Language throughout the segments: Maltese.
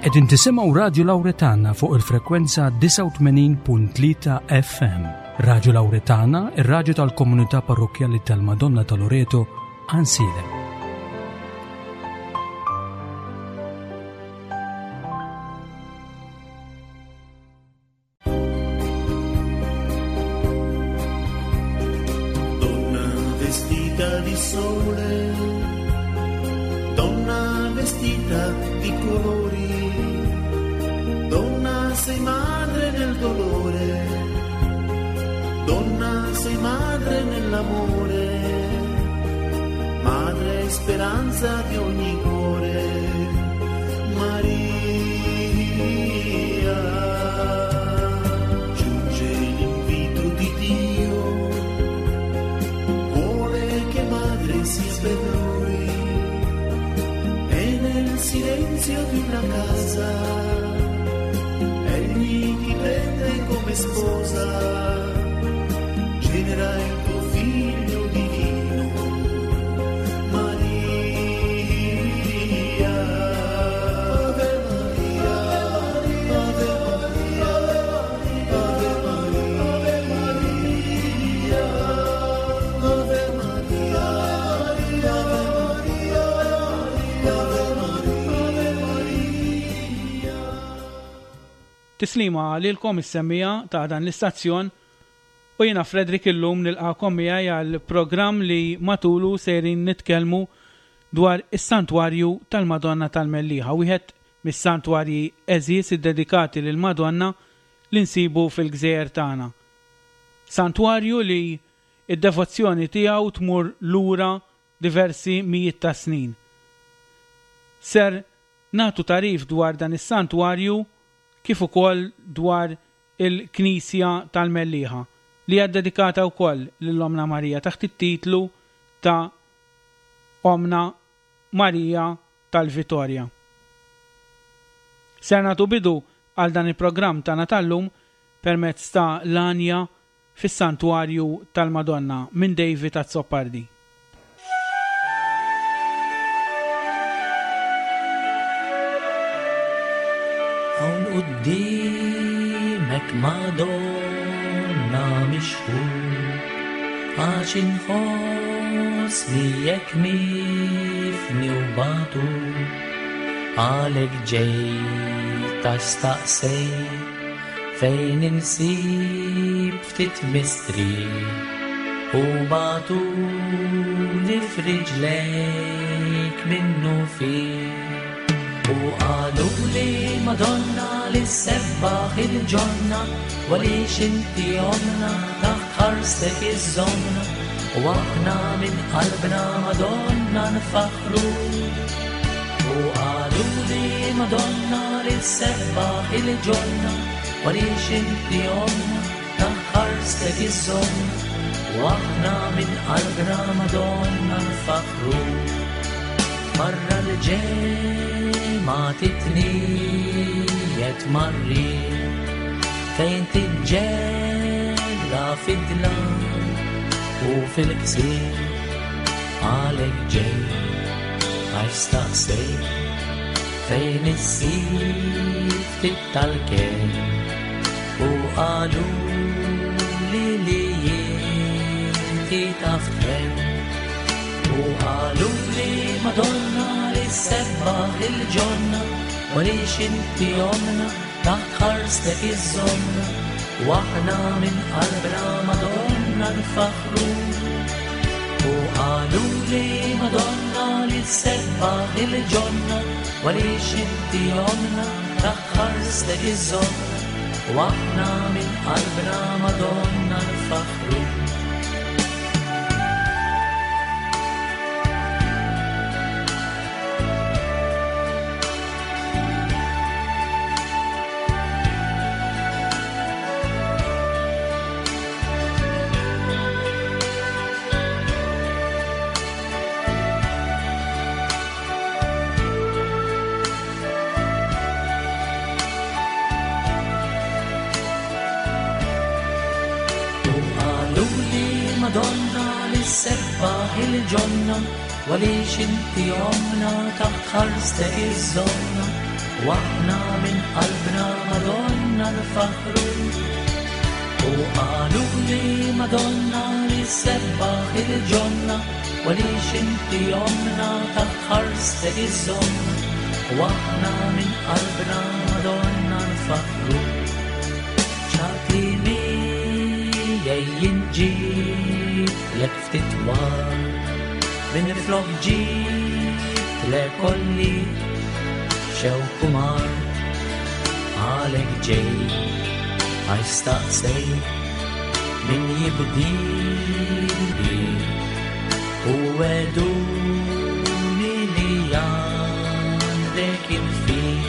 Qegħdin tisimgħu Radju Lawretana fuq il-frekwenza 89.3 FM. Radju Lawretana, ir-radju tal-komunità parrokkjali tal-Madonna ta' Loreto, Għansielem. Donna vestita di sole, donna vestita di colori, donna sei madre nel dolore, donna sei madre nell'amore, madre speranza di ogni cuore, Maria. Giunge l'invito di Dio, vuole che madre sia per lui e nel silenzio di una casa egli ti prende come sposa, genera il tuo figlio divino, Maria. Ave Maria, Ave Maria, Ave Maria, Ave Maria, Ave Maria, Ave Maria. Tislima lilkom is-semmiegħa ta' dan l-istazzjon u jiena Frederick illum nilqagħkom miegħi għal programm li matulu sejrin nitkellmu dwar is-Santwarju tal-Madonna tal-Mellieħa, wieħed mis-santwarji għeżież iddedikati lill-Madonna li nsibu fil-gżejjer tagħna. Santwarju li d-devozzjoni tiegħu tmur lura diversi mijiet ta' snin. Ser nagħtu tagħrif dwar dan is-santwarju kif ukoll dwar il-Knisja tal-Mellieħa, li hija ddedikata wkoll lil Ommna Marija taħt it-titlu ta' Ommna Marija tal-Vitorja. Ser nagħtu bidu għal dan il-programm tagħna tal-lum permezz ta' l-għanja fis-Santwarju tal-Madonna minn David Azzopardi. Hawn quddiemek Madonna mixħut għax inħossni jekk mifni u batut għalhekk ġejt għax staqsejt Fejn insib ftit mistrieħ u bagħtuli f'riġlejk minnufih. U qaluli Madonna li ssebbaħ il-ġonna u għaliex inti ommna taħt ħarstek iżżommna u aħna minn qalbna Madonna nfaħħru. U qaluli Madonna li ssebbaħ il-ġonna għaliex inti ommna taħt ħarstek iżżommna u aħna minn qalbna Madonna nfaħħru. Barra l-ġemgħa titniet marri fejn tiġġella fid-dlam u fil-ksir għalek ġej għax staqsej fejn issib ftit tal-ken u qalu li li inti taf kemm u qalu li Madonna li sebbaħ il-ġonna u għaliex inti omna taħt ħarstek iżżommna u aħna minn qalbna Madonna nfaħħru. U qalu li Madonna li sebbaħ il-ġonna u għaliex inti omna taħt ħarstek iżżommna u aħna minn qalbna Madonna nfaħħru. U qaluli Madonna li sebbaħ il-ġonna u għaliex inti omna taħt ħarstek iżżommna. U aħna minn qalbna Madonna nfaħħru. U qalu li Madonna li sebbaħ il-ġonna u għaliex inti omna taħt ħarstek iżżommna. U aħna minn qalbna Madonna nfaħħru. Ċati miegħi jien ġitlek ftit war minn flok ġitlek kolli xewk u mar għalek ġej għax staqsej min jibdili u weduni li għandek il-fil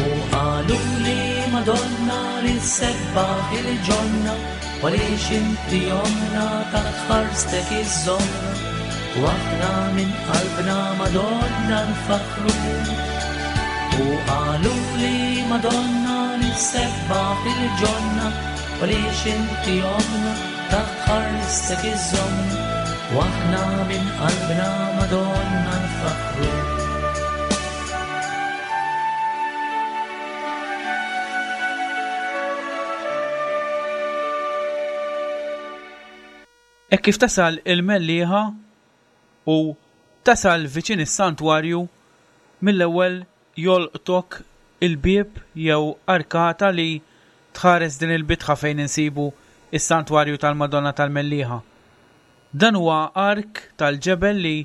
u qalu li Madonna li sebbaħ il-ġonna u għaliex inti omna taħt ħarstek iżżommna u aħna minn qalbna Madonna nfaħħru. U qalu li Madonna li sebbaħ il-ġonna u għaliex inti omna taħt ħarstek iżżommna u aħna minn qalbna Madonna nfaħħru. Hekk kif tasal il-Mellieħa u tasal viċin is-santwarju, mill-ewwel jolqtok il-bieb jew arkata li tħares din il-bitħa fejn insibu s-santwarju tal-Madonna tal-Mellieħa. Dan huwa ark tal-ġebel li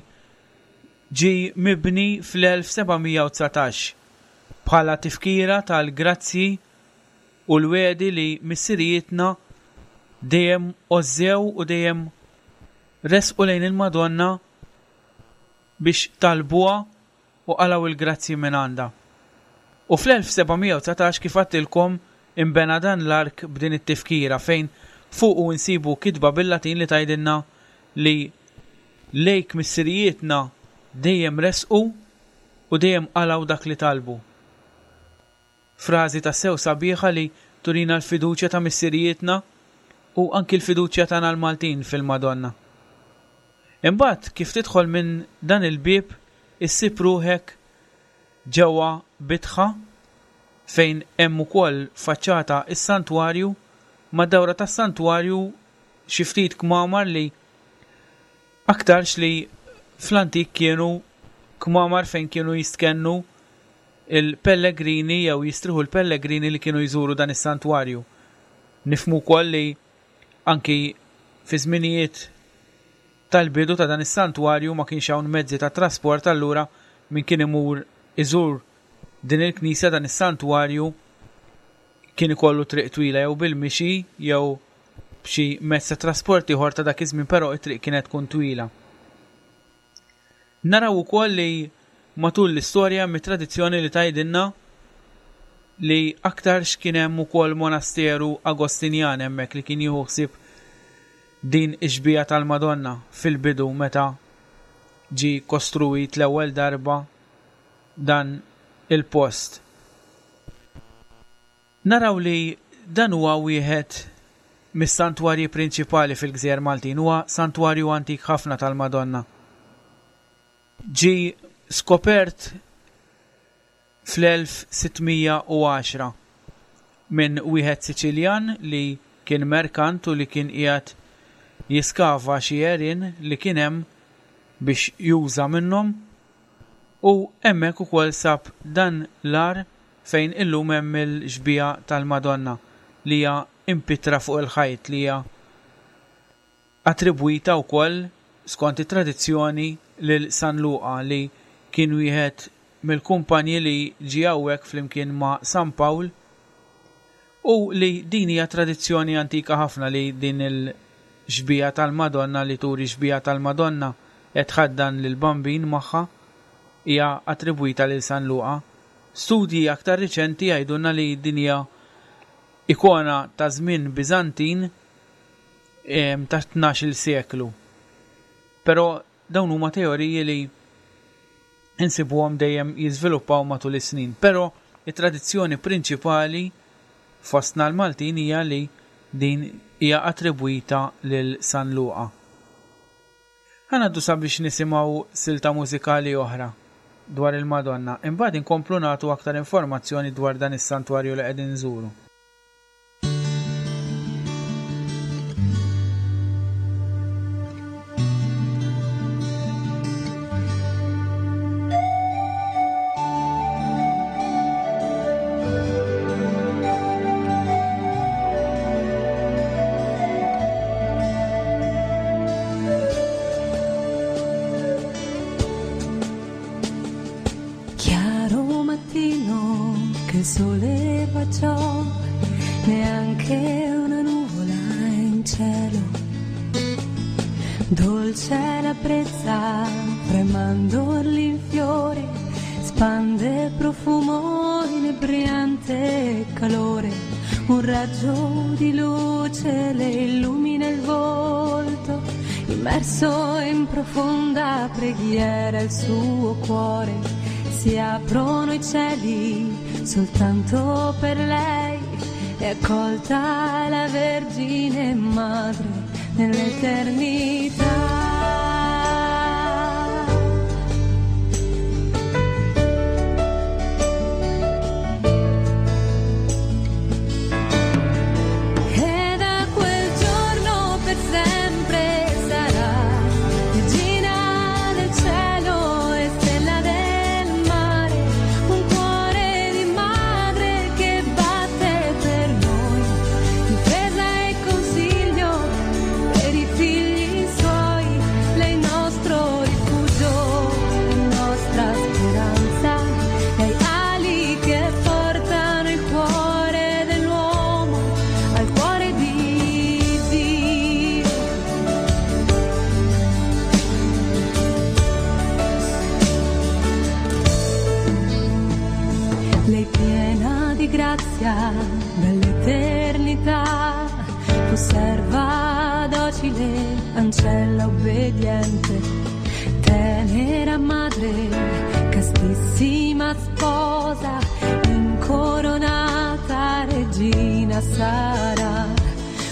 ġie mibni fl-1719 bħala tifkira tal-grazzji u l-wegħdi li missirijietna dejjem għożżew u dejjem resqu lejn il-Madonna biex talbuha u qalgħu l-grazzji mingħandha. U fl-1719 kif għadtilkom inbena dan l-ark b'din it-tifkira fejn fuqu insibu kitba bil-Latin li tgħidilna li lejk missirijietna dejjem resqu u dejjem qalgħu dak li talbu. Frażi tassew sabiħa li turina l-fiduċja ta' missirijietna u anki l-fiduċja tagħna l-Maltin fil-Madonna. Imbagħad kif tidħol minn dan il-bieb issib ruħek ġewwa bitħa fejn hemm ukoll faċċata s-santwarju, mad-dawra tas-santwarju xi ftit kmamar li aktarx li fl-antik kienu kmamar fejn kienu jistkennu il-pellegrini jew jistrieħu l-pellegrini li kienu jżuru dan is-santwarju. Nifhmu wkoll li anki fi żminijiet tal-bidu ta' dan is-santwarju ma kienx hawn mezzi ta' trasport allura min kien imur iżur din il-knisja dan is-santwarju kien ikollu triq twila jew bil-mixi jew b'xi mezz ta' trasport ieħor ta' dak iż-żmien però t-triq kienet tkun twila. Naraw ukoll li matul l-istorja hemm it-tradizzjoni li tgħidilna li aktarx kien hemm ukoll monasteru Agostinjan hemmhekk li kien jieħu ħsieb din ix-xbieha tal-Madonna fil-bidu meta ġie kostruwit l-ewwel darba dan il-post. Naraw li dan huwa wieħed mis-santwarji prinċipali fil-gżejjer Maltin. Huwa santwarju antik ħafna tal-Madonna. Ġie skopert fl-1610 minn wieħed Siċiljan li kien merkant u li kien qiegħed jiskava xi għerien li kien hemm biex juża minnhom u hemmhekk ukoll sab dan l-għar fejn illum hemm il-xbieha tal-Madonna li hija impittra fuq il-ħajt li hija attribwita wkoll skont it-tradizzjoni lil San Luqa li kien wieħed mill-kumpanji li ġie hawnhekk flimkien ma' San Pawl u li din hija tradizzjoni antika ħafna li din il-xbieha tal-Madonna li turi xbieha tal-Madonna qed tħaddan lill-Bambin magħha hija attribwita lil San Luqa. Studji aktar riċenti jgħidulna li din hija ikona ta' żmien Biżantin tat-tnax-il seklu. Però dawn huma teoriji li insibuhom dejjem jiżviluppaw matul is-snin. Però it-tradizzjoni prinċipali fostna l-Maltin hija li din hija attribwita lil San Luqa. Ħa ngħaddu sabiex nisimgħu silta mużikali oħra. dwar il-Madonna, imbagħad inkomplu nagħtu aktar informazzjoni dwar dan is-santwarju li qegħdin nżuru. Chiaro mattino che il sole baciò, neanche una nuvola in cielo. Dolce la brezza fra i mandorli in fiore, spande profumo inebriante calore. Un raggio di luce le illumina il volto, immerso in profonda preghiera il suo cuore. Si aprono i cieli soltanto per lei, è accolta la Vergine Madre nell'eternità. E da quel giorno per sempre sarà regina del cielo e stella del mare, un cuore di madre che batte per noi, difesa e consiglio per i figli suoi, lei nostro rifugio, nostra speranza, lei ali che portano il cuore dell'uomo al cuore di Dio. Lei piena di grazia dall'eternità, fu serva docile, ancella obbediente, tenera madre, castissima sposa, incoronata regina sarà,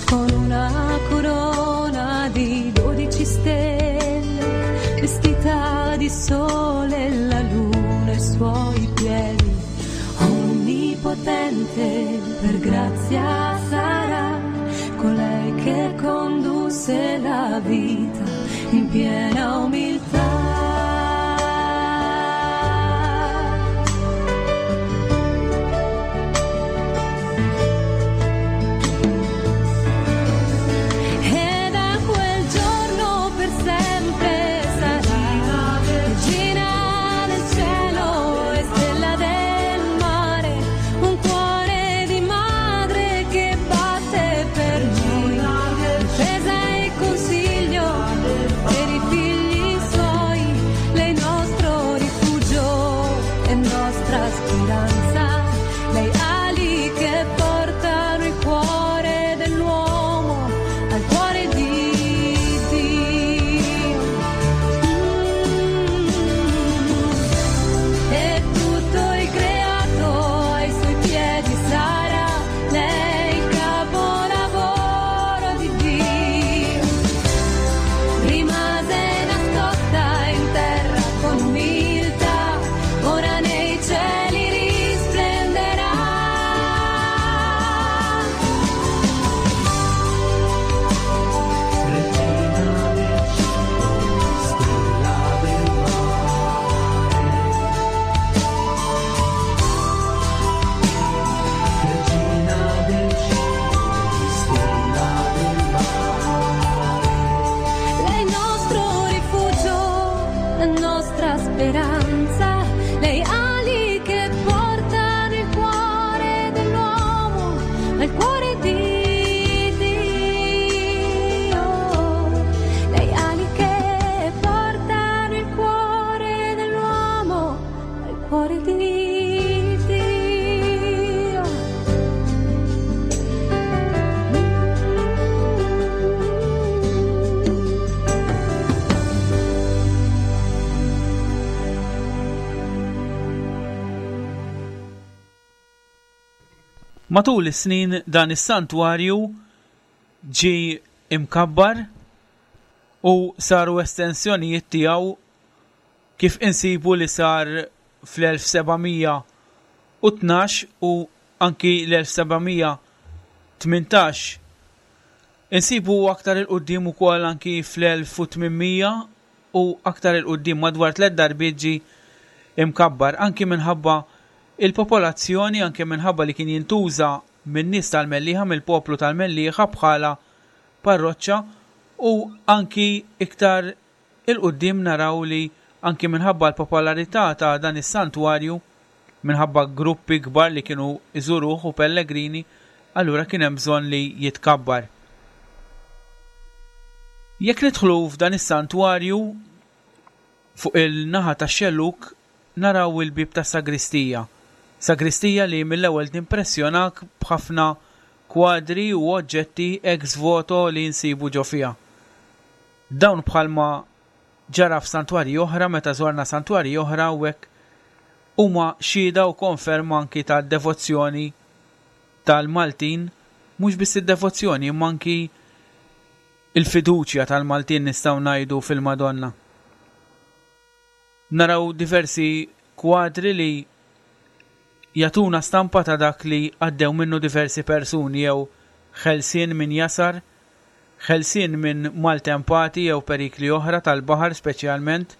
con una corona di 12 stelle, vestita di sole e la luna ai suoi piedi. Onnipotente per grazia sarà colei che condusse la vita in piena umiltà. E da quel giorno per sempre sarà regina del cielo e stella del mare, un cuore di madre che batte per noi, difesa e consiglio per i figli suoi, lei nostro rifugio e nostra speranza, lei ali che portano il cuore dell'uomo al cuore di Dio. E tutto il creato ai suoi piedi sarà, lei il capolavoro di Dio. Rimase nascosta in terra con umiltà, ora nei cieli risplenderà. Regina del cielo, stella del mare. Regina del cielo, stella del mare. Lei nostro rifugio, la nostra speranza, lei ali che portano il cuore dell'uomo al cuore di Dio. Lei ali che portano il cuore dell'uomo al cuore di Dio. Matul is-snin dan is-santwarju ġie imkabbar u saru estensjonijiet tiegħu. kif insibu li sar fl-1712 u anki l-1718. Insibu aktar 'il quddiem ukoll anki fl-1800 u aktar 'il quddiem madwar tlett darbiet ġie imkabbar anki minħabba il-popolazzjoni anke minħabba li kien jintuża min-nies tal-Mellieħa mill-poplu tal-Mellieħa bħala parroċċa u anki iktar 'il quddiem naraw li anki minħabba l-popolarità ta' dan is-santwarju, minħabba gruppi kbar li kienu jżuruh u pellegrini, allura kien hemm bżonn li jitkabbar. Jekk nidħlu f'dan is-santwarju, fuq il-naħa tax-xellug naraw il-bieb tas-sagristija. Sagristija li mill-ewwel timpressjonak b'ħafna kwadri u oġġetti ex voto li nsibu ġo fiha. Dawn bħalma ġara f'santwarji oħra meta żorna santwarji oħra u hekk huma xhieda u konferma anki tad-devozzjoni tal-Maltin, mhux biss id-devozzjoni imma anki l-fiduċja tal-Maltin nistgħu ngħidu fil-Madonna. Naraw diversi kwadri li jagħtuna stampa ta' dak li għaddew minnu diversi persuni jew ħelsien minn jasar, ħelsien minn maltempati jew perikli oħra tal-baħar speċjalment,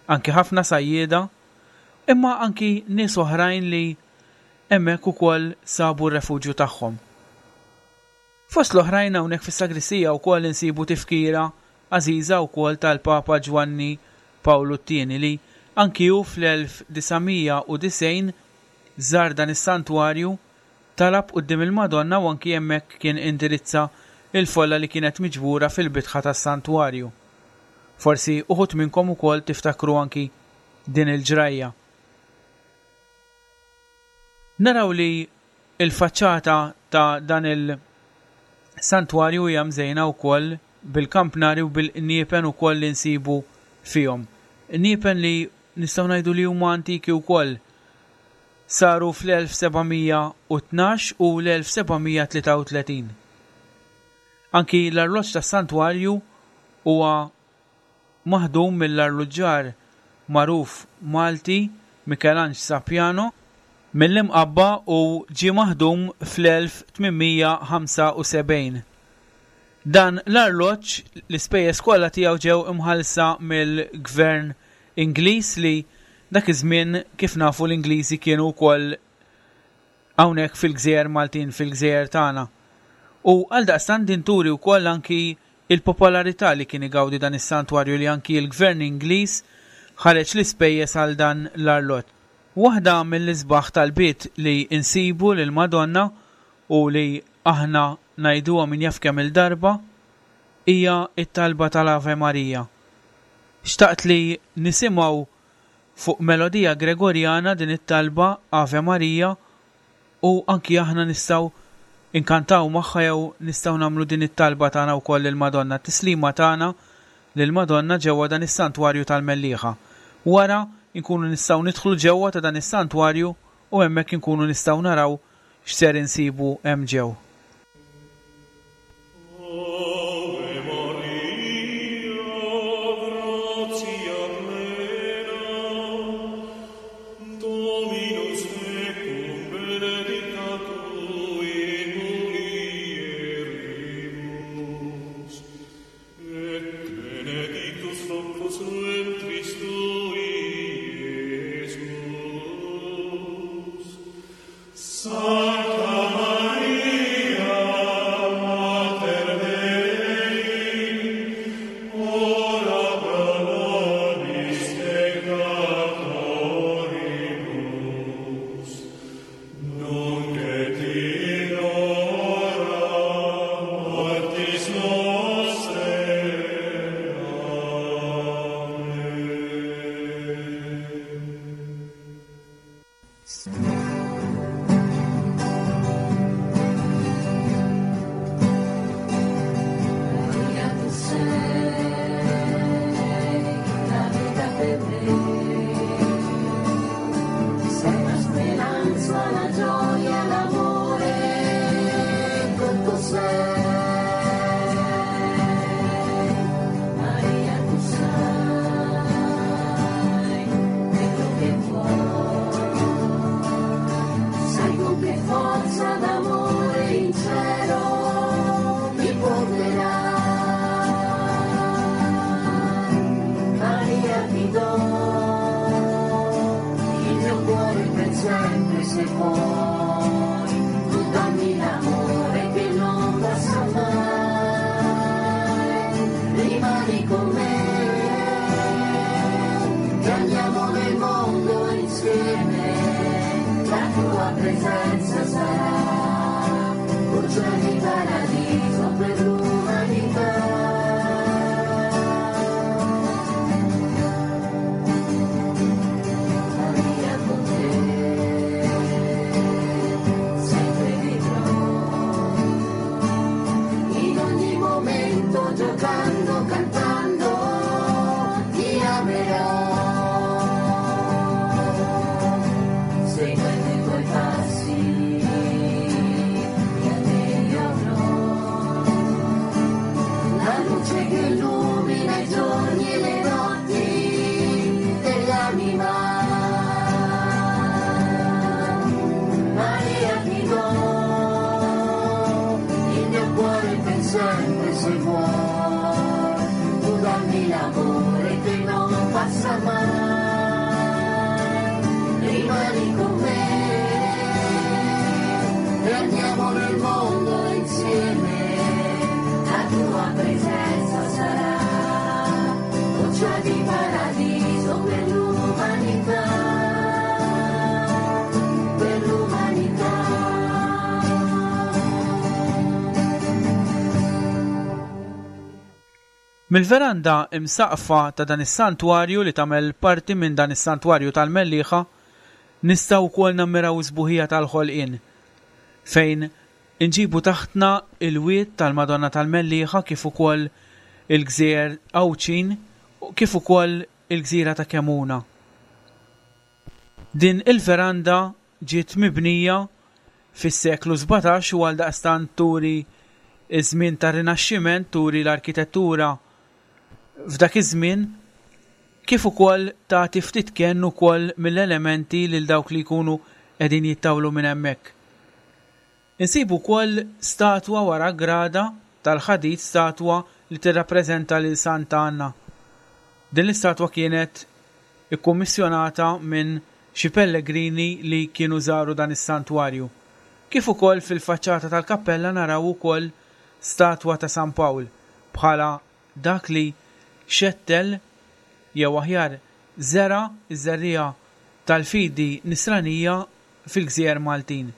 anki ħafna sajjieda, imma anki nies oħrajn li hemmhekk ukoll sabu r-refuġju tagħhom. Fost l-oħrajn hawnhekk fis-sagristija wkoll insibu tifkira għażiża wkoll tal-Papa Ġwanni Pawlu t-Tieni li anki hu fl-1990 żar dan is-santwarju, talab quddiem il-Madonna u anki hemmhekk kien indirizza l-folla li kienet miġbura fil-bitħa tas-santwarju. Forsi uħud minnkom ukoll tiftakru anki din il-ġrajja. Naraw li l-faċċata ta' dan il-santwarju hija mżejna wkoll bil-kampnari u bil-qniepen ukoll li nsibu fihom. Qniepen li nistgħu ngħidu li huma antiki wkoll. Saru fl-1712 u l-1733. Anki l-arloġġ tas-santwarju huwa maħdum mill-arluġġar magħruf Malti Mikelanġ Sapiano mill-Imqabba u ġie maħdum fl-1875. Dan l-arloġġ l-ispejjeż kollha tiegħu ġew imħallsa mill-Gvern Ingliż li dak iż-żmien kif nafu l-Ingliżi kienu wkoll hawnhekk fil-gżejjer Maltin, fil-gżejjer tagħna. U għaldaqstant din turi wkoll anki l-popolarità li kien igawdi dan is-santwarju li anki l-Gvern Ingliż ħareġ l-ispejjeż għal dan l-arloġġ. Waħda mill-isbaħ talbiet li nsibu lill-Madonna u li aħna ngħiduha min jaf kemm-il darba hija t-talba tal-Ave Maria. Xtaqt li nisimgħu Fuq melodija Gregorjana din it-talba Ave Maria u anki aħna nistgħu nkantaw magħha jew nistgħu nagħmlu din it-talba tagħna wkoll lill-Madonna, t-tislima tagħna lill-Madonna ġewwa dan is-Santwarju tal-Mellieħa. Wara nkunu nistgħu nidħlu ġewwa ta' dan is-Santwarju u hemmhekk inkunu nistgħu naraw x'ser insibu hemm ġew. Ave Maria, gratia plena, Dominus tecum, benedicta tu in mulieribus, et benedictus fructus ventris tui, Iesus. Sancta Maria, Mater Dei, ora pro nobis peccatoribus, nunc et in hora mortis nostrae. Amen. se vuoi, tu dammi l'amore che non passa mai, rimani con me, che andiamo nel mondo insieme, la tua presenza sarà goccia di paradiso per l'umanità. Maria con te, sempre vivrò, in ogni momento giocando, cantando, ti amerò. Seguendo i tuoi passi, che a te io avrò, la luce che illumina i giorni e le notti dell'anima. Maria ti do il mio cuore per sempre se vuoi, tu dammi l'amore che non passa mai, rimani con me e andiamo nel mondo insieme, la tua presenza sarà goccia di paradiso per l'umanità, per l'umanità. Mill-veranda imsaqqfa ta' dan is-santwarju li tagħmel parti minn dan is-santwarju tal-Mellieħa nistgħu wkoll nammiraw is-sbuħija tal-ħolqien fejn inġibu taħtna il-wied tal-Madonna tal-Mellieħa kif ukoll il-gżejjer Għawdxin u kif ukoll il-gżira ta' Kemuna. Din il-veranda ġiet mibnija fis-seklu 17 u għaldaqstant turi ż-żmien tar-Rinaxximent, turi l-arkitettura f'dak iż-żmien, kif ukoll tagħti ftit kenn ukoll mill-elementi lil dawk li jkunu qegħdin jittawlu minn hemmhekk. Insibu wkoll statwa wara grada tal-ħadid, statwa li tirrappreżenta lil Santa Anna. Din l-istatwa kienet ikkummissjonata minn xi pellegrini li kienu żaru dan is-santwarju. Kif ukoll fil-faċċata tal-kappella naraw ukoll statwa ta' San Pawl bħala dak li xettel jew aħjar żera' ż-żerriegħa tal-fidi nisranija fil-gżejjer Maltin.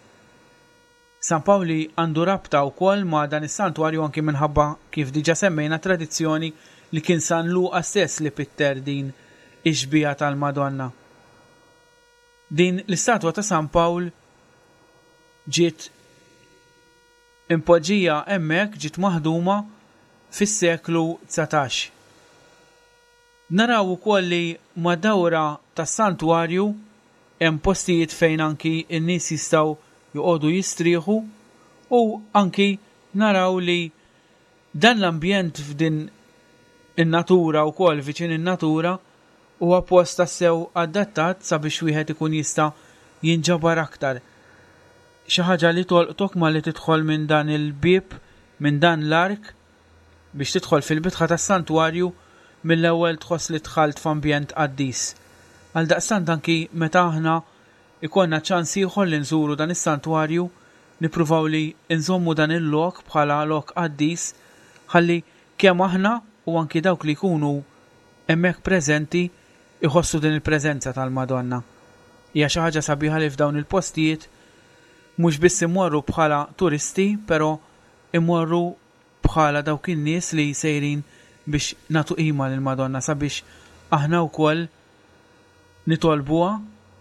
San Pawli għandu rabta wkoll ma' dan is-santwarju anki minħabba, kif diġà semmejna, tradizzjoni li kien San Luqa stess li pitter din ix-xbieha tal-Madonna. Din l-istatwa ta' San Pawl ġiet impoġġija hemmhekk, ġiet maħduma fis-seklu 19. Naraw ukoll li mad-dawra tas-santwarju hemm postijiet fejn anki n-nies jistgħu joqogħdu jistrieħu u anki naraw li dan l-ambjent f'din in-natura wkoll viċin in-natura huwa post tassew adattat sabiex wieħed ikun jista' jinġabar aktar. Xi ħaġa li tolqtok malli tidħol minn dan il-bieb, minn dan l-ark biex tidħol fil-bitħa tas-santwarju mill-ewwel tħoss li dħalt f'ambjent qaddis. Għaldaqstant anki meta aħna ikollna ċans ieħor li nżuru dan is-santwarju nippruvaw li nżommu dan il-lok bħala lok qaddis ħalli kemm aħna u anki dawk li jkunu hemmhekk preżenti jħossu din il-preżenza tal-Madonna. Hija xi ħaġa sabiħa li f'dawn il-postijiet mhux biss immorru bħala turisti però immorru bħala dawk in-nies li sejrin biex nagħtu qima lill-Madonna sabiex aħna wkoll nitolbuha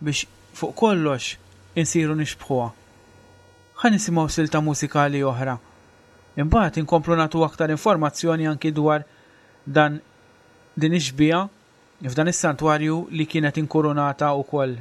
biex fuq kollox insiru nixbħuha. Ħa nisimgħu silta mużikali oħra. Imbagħad inkomplu nagħtu aktar informazzjoni anki dwar dan din ix-xbieha f'dan is-santwarju li kienet inkurunata wkoll.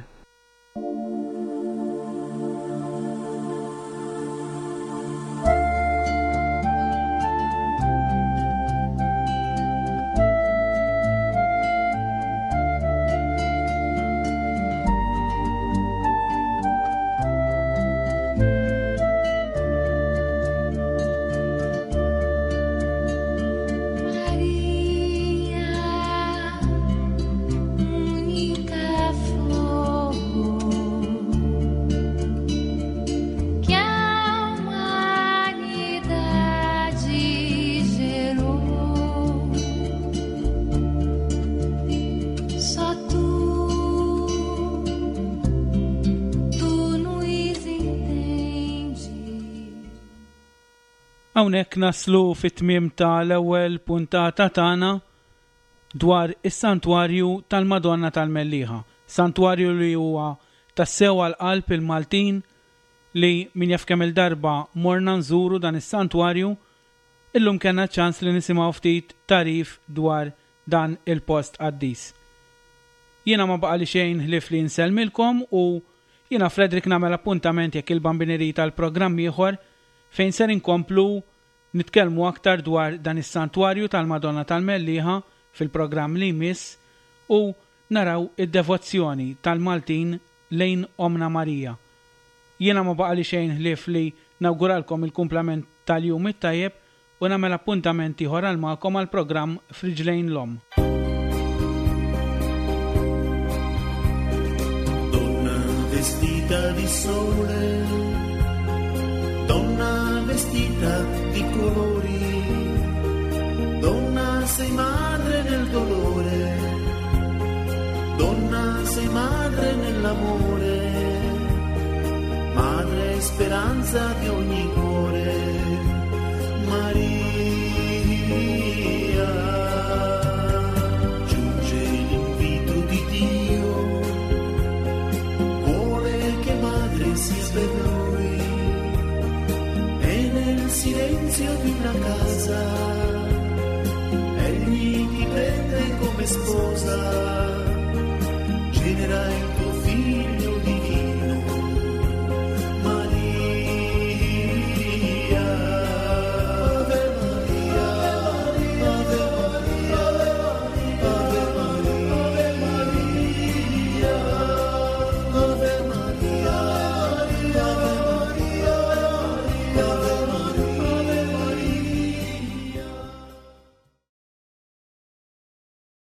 Maria, unica flor. Hawnhekk naslu fit-tmiem ta' l-ewwel puntata tagħna dwar is-Santwarju tal-Madonna tal-Mellieħa. Santwarju li huwa tassew għal qalb il-Maltin li min jaf kemm-il darba morna nżuru dan is-santwarju, illum kellna ċ-ċans li nisimgħu ftit tagħrif dwar dan il-post qaddis. Jiena ma baqali xejn ħlief li nsellmilkom u jiena Frederick nagħmel appuntament jekk il-Bambin irid għal programm ieħor fejn ser inkomplu nitkellmu aktar dwar dan is-Santwarju tal-Madonna tal-Mellieħa fil-programm li jmiss u naraw id-devozzjoni tal-Maltin lejn Ommna Marija. Jiena ma baqali xejn ħlief li nawguralkom il-kumplament tal-jum it-tajjeb u nagħmel appuntament ieħor għal magħkom għall-programm F'Riġlejn l-Omm. Donna vestita di sole, donna vestita di colori, donna sei madre nel dolore, donna sei madre nell'amore, madre speranza di ogni cuore, Maria. Giunge l'invito di Dio, vuole che madre sia per noi, e nel silenzio di una casa, egli ti prende come sposa, genera il tuo